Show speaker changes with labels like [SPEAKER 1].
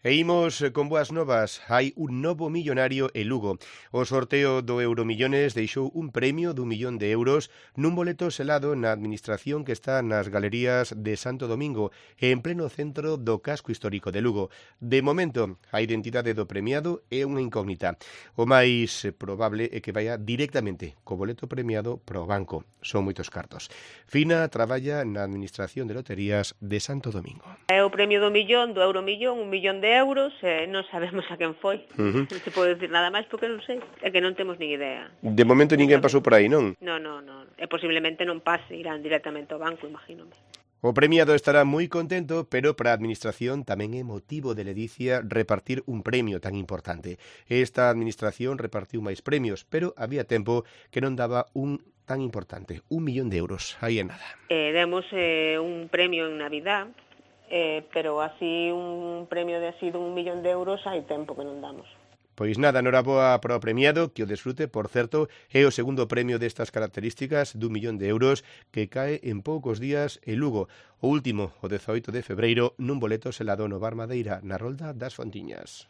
[SPEAKER 1] E imos con boas novas. Hai un novo millonario en Lugo. O sorteo do Euromillones deixou un premio d'1 millón de euros nun boleto selado na administración que está nas galerías de Santo Domingo, en pleno centro do casco histórico de Lugo. De momento, a identidade do premiado é unha incógnita. O máis probable é que vaya directamente co boleto premiado pro banco. Son moitos cartos. Fina traballa na administración de loterías de Santo Domingo.
[SPEAKER 2] É o premio do millón, do Euromillón, 1 millón de euros, non sabemos a quen foi. Non se pode dicir nada máis porque non sei, é que non temos nin idea.
[SPEAKER 1] De momento ninguén pasou por aí, non?
[SPEAKER 2] Non, e posiblemente non pase, irán directamente ao banco, imagínome.
[SPEAKER 1] O premiado estará moi contento, pero para a administración tamén é motivo de ledicia repartir un premio tan importante. Esta administración repartiu máis premios, pero había tempo que non daba un tan importante, 1 millón de euros, aí é nada.
[SPEAKER 2] Demos un premio en Navidad, pero así un premio de así de 1 millón de euros hai tempo que non damos.
[SPEAKER 1] Pois nada, noraboa para o premiado, que o desfrute, por certo, é o segundo premio destas características d'1 millón de euros que cae en poucos días en Lugo. O último, o 18 de febreiro, nun boleto selado no Bar Madeira, na Rolda das Fontiñas.